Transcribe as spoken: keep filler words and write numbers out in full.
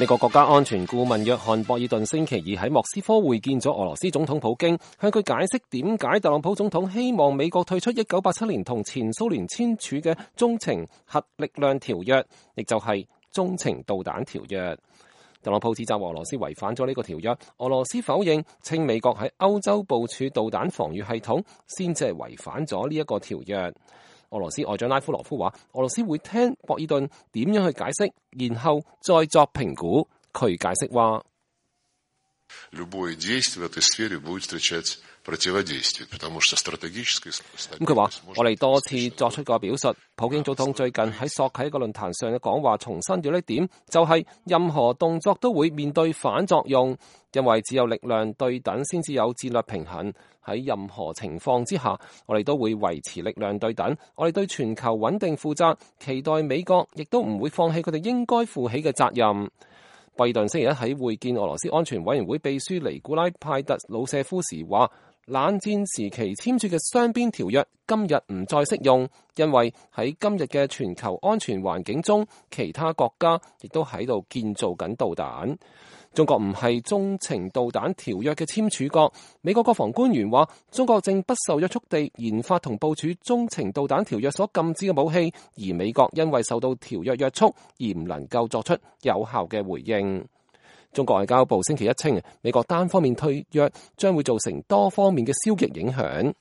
美國國家安全顧問約翰博爾頓星期二喺莫斯科會見咗俄羅斯總統普京，向佢解釋點解特朗普總統希望美國退出一九八七年同前蘇聯簽署嘅中程核力量條約，亦就係中程導彈條約。特朗普指責俄羅斯違反咗呢個條約，俄羅斯否認，稱美國喺歐洲部署導彈防禦系統先至係違反咗呢一個條約。俄羅斯外長拉夫羅夫話，俄羅斯會聽博爾頓點樣去解釋，然後再作評估。佢解釋話，咁佢話，我哋多次作出過表述，普京總統最近喺索契一個論壇上嘅講話重申咗呢點，就係任何動作都會面對反作用，因為只有力量對等先至有戰略平衡。喺任何情況之下，我哋都會維持力量對等。我哋對全球穩定負責，期待美國亦都唔會放棄佢哋應該負起嘅責任。拜登星期一喺會見俄羅斯安全委員會秘書尼古拉派特魯舍夫時話，冷戰時期簽署嘅雙邊條約今日唔再適用，因為喺今日嘅全球安全環境中，其他國家亦都喺度建造緊導彈。中國唔係中程導彈條約嘅簽署國。美國國防官員話，中國正不受約束地研發同部署中程導彈條約所禁止嘅武器，而美國因為受到條約約束而唔能夠作出有效嘅回應。中國外交部星期一稱，美國單方面退約將會造成多方面嘅消極影響。